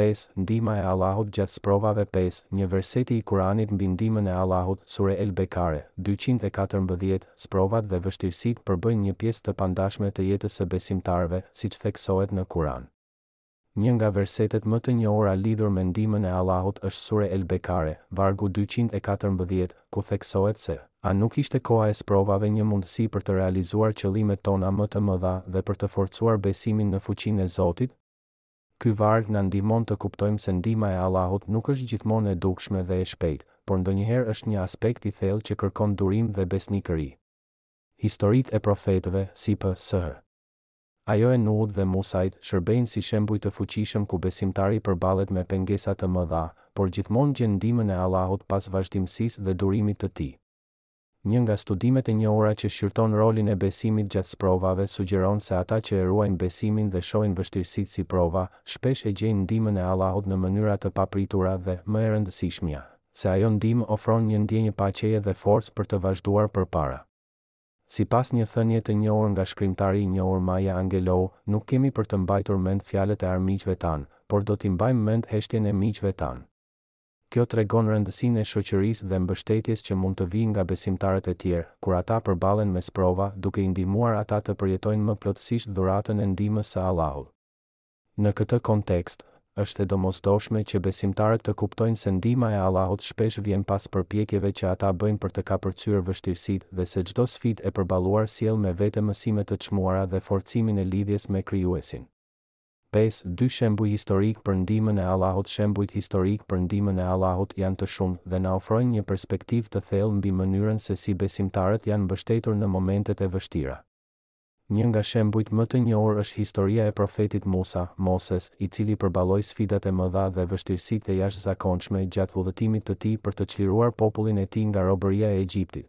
5. Ndihma e Allahut gjatë sprovave 5. Një verseti i Kuranit mbi ndihmën e Allahut, Sure El Bekare, 214, Sprovat dhe vështirësitë përbëjnë një pjesë të pandashme të jetës së besimtarëve, siç theksohet në Kuran. Një nga versetet më të njohura lidhur me ndihmën e Allahut është Sure El Bekare, vargu 214, ku theksohet se, A nuk ishte koha e sprovave një mundësi për të realizuar qëllimet tona më të mëdha dhe për të forcuar besimin në fuqinë e Zotit? Ky varg na ndihmon të kuptojmë se ndihma e Allahut nuk është gjithmonë e dukshme dhe e shpejtë, por ndonjëherë është një aspekt i thellë që kërkon durim dhe besnikëri. Historitë e profetëve, si P.S.H. Ajo e Nuhut dhe Musait, shërbejnë si shembuj të fuqishëm ku besimtari përballet me pengesa të mëdha, por gjithmonë gjen ndihmën e Allahut pas vazhdimësisë dhe durimit të tij. Një nga studimet e njohura që shqyrton rolin e besimit gjatë sprovave sugjeron se ata që e ruajnë besimin dhe shohin vështirësitë si prova, shpesh e gjejnë ndihmën e Allahut në mënyra të papritura dhe, më e rëndësishmja, se ajo ndihmë ofron një ndjenjë paqeje dhe forcë për të vazhduar përpara. Sipas një thënie të njohur nga shkrimtari i njohur Maya Angelou, nuk kemi për të mbajtur mend fjalët e armiqve tanë, por do t'i mbajmë mend heshtjen e miqve tanë. Kjo tregon rëndësinë e shoqërisë dhe mbështetjes që mund të vijë nga besimtarët e tjerë, kur ata përballen me sprova, duke i ndihmuar ata të përjetojnë më plotësisht dhuratën e ndihmës së Allahut. Në këtë kontekst, është e domosdoshme që besimtarët të kuptojnë se ndihma e Allahut shpesh vjen pas përpjekjeve që ata bëjnë për të kapërcyer vështirësitë dhe se çdo sfidë e përballuar sjell me vete mësime të çmuara dhe forcimin e lidhjes me Krijuesin. 5. Dy shembuj historikë për ndihmën e Allahut Shembujt historikë për ndihmën e Allahut janë të shumtë dhe na ofrojnë një perspektivë të thellë mbi mënyrën se si besimtarët janë mbështetur në momentet e vështira. Një nga shembujt më të njohur është historia e profetit Musa, Moses, i cili përballoi sfidat e mëdha dhe vështirësitë e jashtëzakonshme gjatë udhëtimit të tij për të çliruar popullin e tij nga robëria e Egjiptit.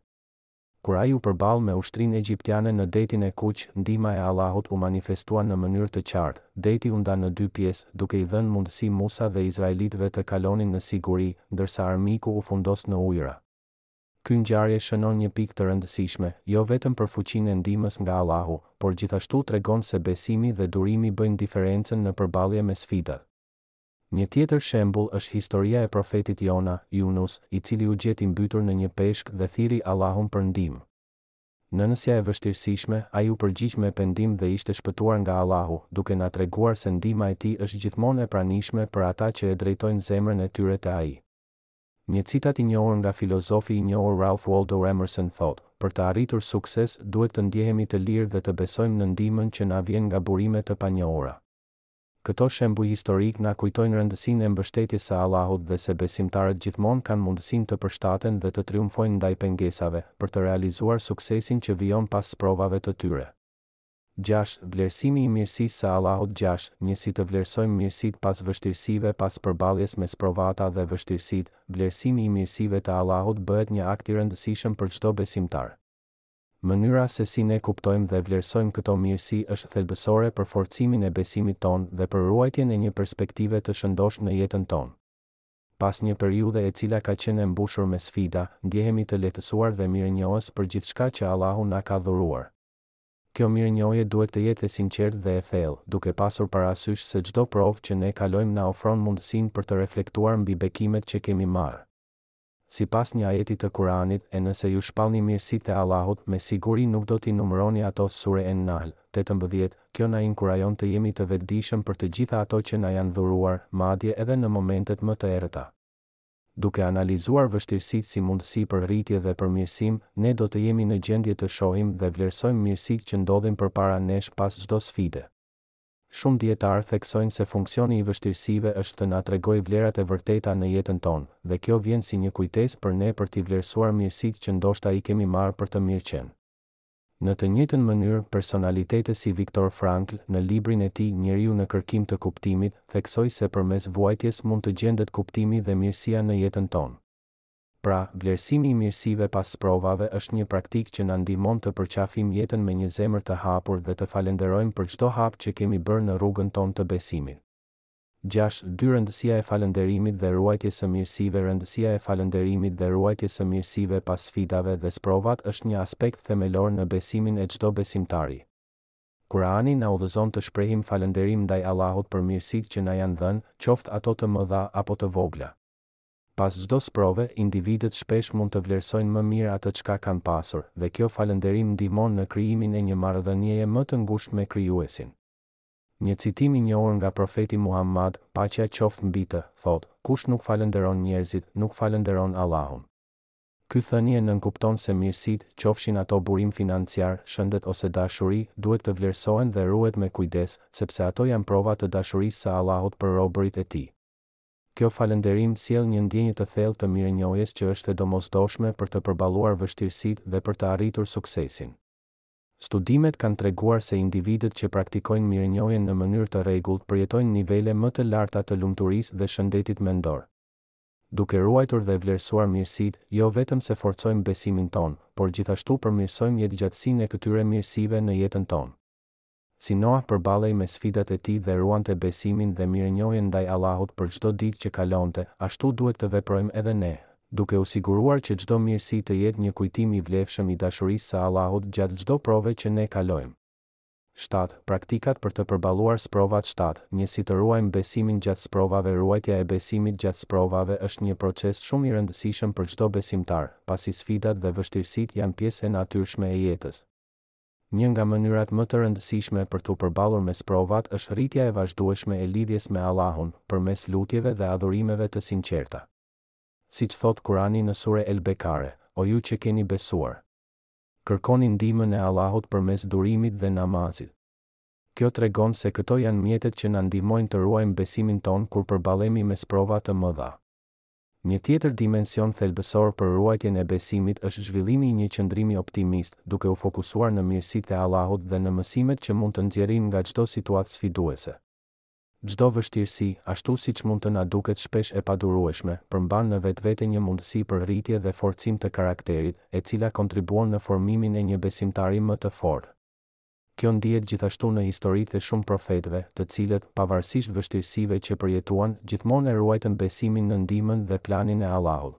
Kur ai u përball me ushtrinë egjiptiane në Detin e Kuq, ndihma e Allahut u manifestua në mënyrë të qartë, deti u nda në dy pjesë, duke i dhënë mundësi Musa dhe izraelitëve të kalonin në siguri, ndërsa armiku u fundos në ujëra. Ky ngjarje shënon një pikë të rëndësishme, jo vetëm për fuqinë e ndihmës nga Allahu, por gjithashtu tregon se besimi dhe durimi bëjnë diferencën në përballje me sfidat. Një tjetër shembull është historia e profetit Jona, Yunus, i cili u gjet i mbytur në një peshk dhe thirri Allahun për ndihmë. Në mesin e vështirësishme, ai u përgjigj me pendim dhe ishte shpëtuar nga Allahu, duke na treguar se ndihma e Tij është gjithmonë e pranishme për ata që e drejtojnë zemrën e tyre te Ai. Një citat i njohur nga filozofi i njohur Ralph Waldo Emerson thotë, Për të arritur sukses, duhet të ndjehemi të lirë dhe të besojmë në ndihmën që na vjen nga burime të panjohura. Këto shembuj historikë na kujtojnë rëndësinë e mbështetjes së Allahut dhe se besimtarët gjithmonë kanë mundësinë të përshtaten dhe të triumfojnë ndaj pengesave, për të realizuar suksesin që vijon pas sprovave të tyre. 6, Vlerësimi i mirësisë së Allahut 6, Një Si të vlerësojmë mirësitë pas vështirësive Pas përballjes me sprovata dhe vështirësitë, vlerësimi i mirësive të Allahut bëhet një akt i rëndësishëm për çdo besimtar. Mënyra se si ne kuptojmë dhe vlerësojmë këto mirësi është thelbësore për forcimin e besimit tonë dhe për ruajtjen e një perspektive të shëndoshë në jetën tonë. Pas një periudhe e cila ka qenë e mbushur me sfida, ndjehemi të lehtësuar dhe mirënjohës për gjithçka që Allahu na ka dhuruar. Kjo mirënjohje duhet të jetë e sinqertë dhe e thellë, duke pasur parasysh se çdo provë që ne kalojmë na ofron mundësinë për të reflektuar mbi bekimet që kemi marrë. Sipas një ajeti të Kur'anit, e nëse ju shpallni mirësitë e Allahut, me siguri nuk do t'i numëroni ato Sure En-Nahl, 18, kjo na inkurajon të jemi të vetëdijshëm për të gjitha ato që na janë dhuruar, madje edhe në momentet më të errëta. Duke analizuar vështirësitë si mundësi për rritje dhe përmirësim, ne do të jemi në gjendje të shohim dhe vlerësojmë mirësitë që ndodhin përpara nesh pas çdo sfide. Shumë dijetarë theksojnë se funksioni i vështirësive është të na tregojë vlerat e vërteta në jetën tonë, dhe kjo vjen si një kujtesë për ne për t'i vlerësuar mirësitë që ndoshta i kemi marrë për të mirëqenë. Në të njëjtën mënyrë, personalitete si Viktor Frankl, në librin e tij Njeriu në kërkim të kuptimit, theksoi se përmes vuajtjes mund të gjendet kuptimi dhe mirësia në jetën tonë. Pra, vlerësimi i mirësive pas sprovave është një praktikë që na ndihmon të përqafim jetën me një zemër të hapur dhe të falënderojmë për çdo hap që kemi bërë në rrugën tonë të besimit. 6, 2 Rëndësia e falënderimit dhe ruajtjes së mirësive Rëndësia e falënderimit dhe ruajtjes së mirësive pas sfidave dhe sprovat është një aspekt themelor në besimin e çdo besimtari. Kurani na udhëzon të shprehim falënderim ndaj Allahut për mirësitë që na janë dhënë, qoftë ato të mëdha apo të vogla. Pas çdo sprove, individët shpesh mund të vlerësojnë më mirë atë çka kanë pasur, dhe kjo falënderim ndihmon në krijimin e një marrëdhënieje më të ngushtë me Krijuesin. Një citim i njohur nga Profeti Muhammad, paqja qoftë mbi të, thotë, Kush nuk falënderon njerëzit, nuk falënderon Allahun. Ky thënie nënkupton se mirësitë, qofshin ato burim financiar, shëndet ose dashuri, duhet të vlerësohen dhe ruhet me kujdes, sepse ato janë prova të dashurisë së Allahut për robërit e Tij. Kjo falënderim sjell një ndjenjë të thellë të mirënjohjes që është e domosdoshme për të përballuar vështirësitë dhe për të arritur suksesin. Studimet kanë treguar se individët që praktikojnë mirënjohjen në mënyrë të rregullt përjetojnë nivele më të larta të lumturisë dhe shëndetit mendor. Duke ruajtur dhe vlerësuar mirësitë, jo vetëm se forcojmë besimin tonë, por gjithashtu përmirësojmë jetëgjatësinë e këtyre mirësive në jetën tonë. Si Noah përballej me sfidat e tij dhe ruante besimin dhe mirënjohjen ndaj Allahut për çdo ditë që kalonte, ashtu duhet të veprojmë edhe ne, duke u siguruar që çdo mirësi të jetë një kujtim i vlefshëm i dashurisë së Allahut gjatë çdo prove që ne kalojmë. 7, Praktikat për të përballuar sprovat 7, Një Si të ruajmë besimin gjatë sprovave Ruajtja e besimit gjatë sprovave është një proces shumë i rëndësishëm për çdo besimtar, pasi sfidat dhe vështirësitë janë pjesë e natyrshme e jetës. Një nga mënyrat më të rëndësishme për t'u përballur me sprovat është rritja e vazhdueshme e lidhjes me Allahun, përmes lutjeve dhe adhurimeve të sinqerta. Siç thotë Kurani në Sure El-Bekare, O ju që keni besuar! Kërkoni ndihmën e Allahut përmes durimit dhe namazit. Kjo tregon se këto janë mjetet që na ndihmojnë të ruajmë besimin tonë kur përballemi me sprova të mëdha. Një tjetër dimension thelbësor për ruajtjen e besimit është zhvillimi i një qëndrimi optimist, duke u fokusuar në mirësitë e Allahut dhe në mësimet që mund të nxjerrim nga çdo situatë sfiduese. Çdo vështirësi, ashtu siç mund të na duket shpesh e padurueshme, përmban në vetvete një mundësi për rritje dhe forcim të karakterit, e cila kontribuon në formimin e një besimtari më të fortë. Kjo ndihet gjithashtu në historitë e shumë profetëve, të cilët, pavarësisht vështirësive që përjetuan, gjithmonë e ruajtën besimin në ndihmën dhe planin e Allahut.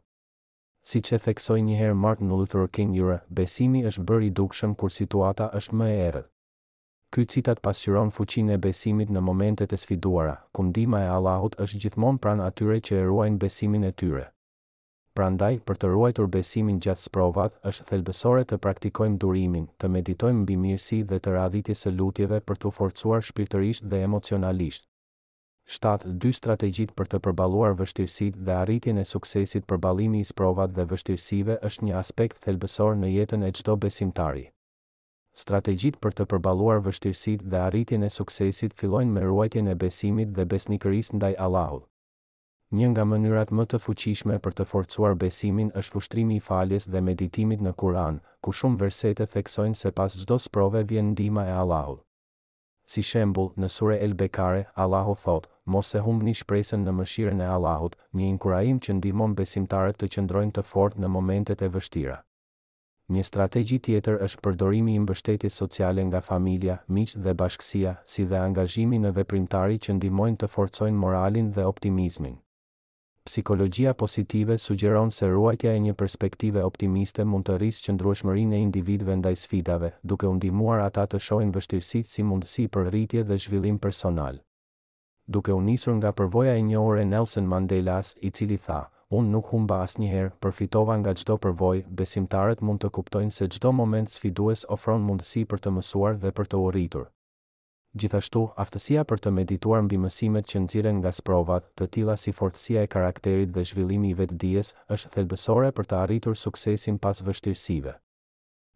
Siç e theksoi njëherë Martin Luther King Jr., besimi është bërë i dukshëm kur situata është më e errët. Ky citat pasqyron fuqinë e besimit në momentet e sfiduara, ku ndihma e Allahut është gjithmonë pranë atyre që e ruajnë besimin e tyre. Prandaj, për të ruajtur besimin gjatë sprovat, është thelbësore të praktikojmë durimin, të meditojmë mbi mirësi dhe të radhitjes së lutjeve për t'u forcuar shpirtërisht dhe emocionalisht. 7, Dy strategjitë për të përballuar vështirësitë dhe arritjen e suksesit Përballimi i sprovat dhe vështirësive është një aspekt thelbësor në jetën e çdo besimtari. Strategjitë për të përballuar vështirësitë dhe arritjen e suksesit fillojnë me ruajtjen e besimit dhe besnikërisë ndaj Allahut. Një nga mënyrat më të fuqishme për të forcuar besimin është ushtrimi i faljes dhe meditimit në Kur'an, ku shumë versete theksojnë se pas çdo sprove vjen ndihma e Allahut. Si shembull, në Sure El-Bekare, Allahu thotë, Mos e humbni shpresën në mëshirën e Allahut, një inkurajim që ndihmon besimtarët të qëndrojnë të fortë në momentet e vështira. Një strategji tjetër është përdorimi i mbështetjes sociale nga familja, miqtë dhe bashkësia, si dhe angazhimi në veprimtari që ndihmojnë të forcojnë moralin dhe optimizmin. Psikologjia positive sugjeron se ruajtja e një perspektive optimiste mund të rrisë qëndrueshmërinë e individëve ndaj sfidave, duke u ndihmuar ata të shohin vështirësitë si mundësi për rritje dhe zhvillim personal. Duke u nisur nga përvoja e njohur e Nelson Mandelas, i cili tha, Unë nuk humba asnjëherë, përfitova nga çdo përvojë, besimtarët mund të kuptojnë se çdo moment sfidues ofron mundësi për të mësuar dhe për të u rritur. Gjithashtu, aftësia për të medituar mbi mësimet që nxirren nga sprovat, të tilla si fortësia e karakterit dhe zhvillimi i vetëdijes, është thelbësore për të arritur suksesin pas vështirësive.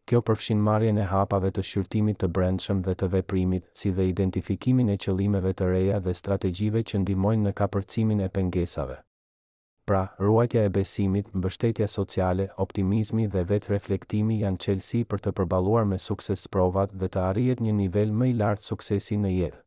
Kjo përfshin marrjen e hapave të shqyrtimit të brendshëm dhe të veprimit, si dhe identifikimin e qëllimeve të reja dhe strategjive që ndihmojnë në kapërcimin e pengesave. Pra, ruajtja e besimit, mbështetja sociale, optimizmi dhe vetë-reflektimi janë çelësi për të përballuar me sukses sprovat dhe të arrihet një nivel më i lartë suksesi në jetë.